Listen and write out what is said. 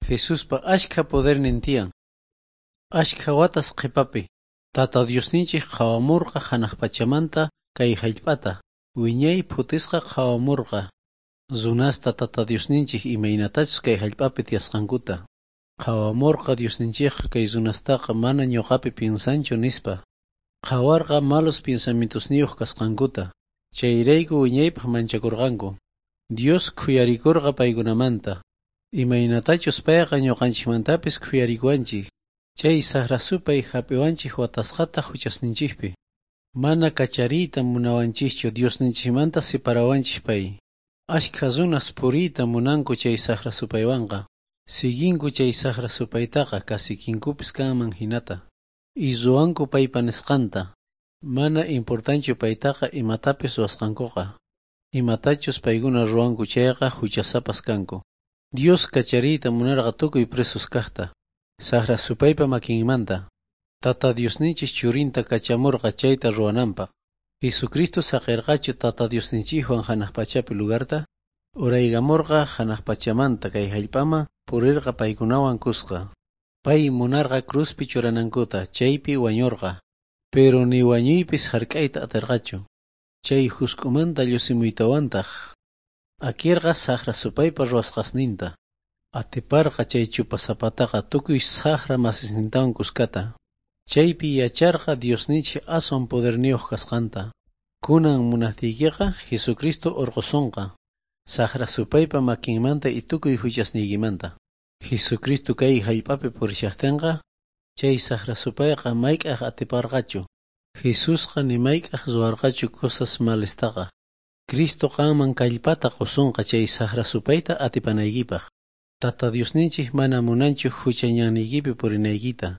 Jesuspa ashkha podernin tiyan. Ashkha watas qhipapi, Tata Diosninchik qhawamurqa hanaq pachamanta kay hallp'ata, wiñay phutisqa qhawamurqa. Runasta Tata Diosninchik imaynatachus kay hallp'api tiyasqankuta. Qhawamurqa Diosninchikqa kay runastaqa mana ñuqapi piensanchu nispa. Qhawarqa malos pensamientosniyuq kasqankuta. Chayrayku wiñaypaq manchakurqanku. Dios khuyarikurqa paykunamanta. Imaynatachus payqa ñuqanchikmantapis khuyarikuwanchik. Chay saqra supay hap'iwanchik watasqata huchasninchikpi. Mana kachariyta munawanchikchu, Diosninchikmanta separawanchik pay. Ashkha runas puriyta munanku chay saqra supaywanqa. Siguinku chay saqra supaytaqa kasikinkupis kanman hinata. Y ruwanku paypa nisqanta. Mana importanchu paytaqa imatapis ruwasqankuqa. Imatachus paykuna ruwanku chayqa huchasapas kanku. Dios kachariyta munarqa tukuy presos kaqta. Saqra supaypa makinmanta. Tata Diosninchik churinta kachamurqa chayta ruwananpaq. Jesucristo saqirqachu Tata Diosninchikwan hanaq pachapi lugarta? Uraykamurqa hanaq pachamanta kay hallp'aman, purirqa paykunawan kuska. Pay munarqa cruzpi churanankuta, chaypi wañurqa. Pero ni wañuypis hark'ayta atirqachu. Chay husk'umanta llusimuytawantaq akirqa saqra supaypa ruwasqasninta. Atiparqa chay chupasapataqa tukuy saqra masisnintawan kuskata. Chaypi yacharqa Diosninchik aswan poderniyuq kasqanta. Kunan munaqtiykiqa Jesucristo urqusunqa. Saqra supaypa makinmanta y tukuy huchasniykimanta. Jesucristo kay hallp'api purishaqtinqa chay saqra supayqa mayk'aq atiparqachu. Jesusqa ni mayk'aq ruwarqachu cosas malistaqa. Cristo qanman kallpata qusunqa chay saqra supayta atipanaykipaq. Tata Diosninchik mana munanchu hucha ñanniykipi purinaykita.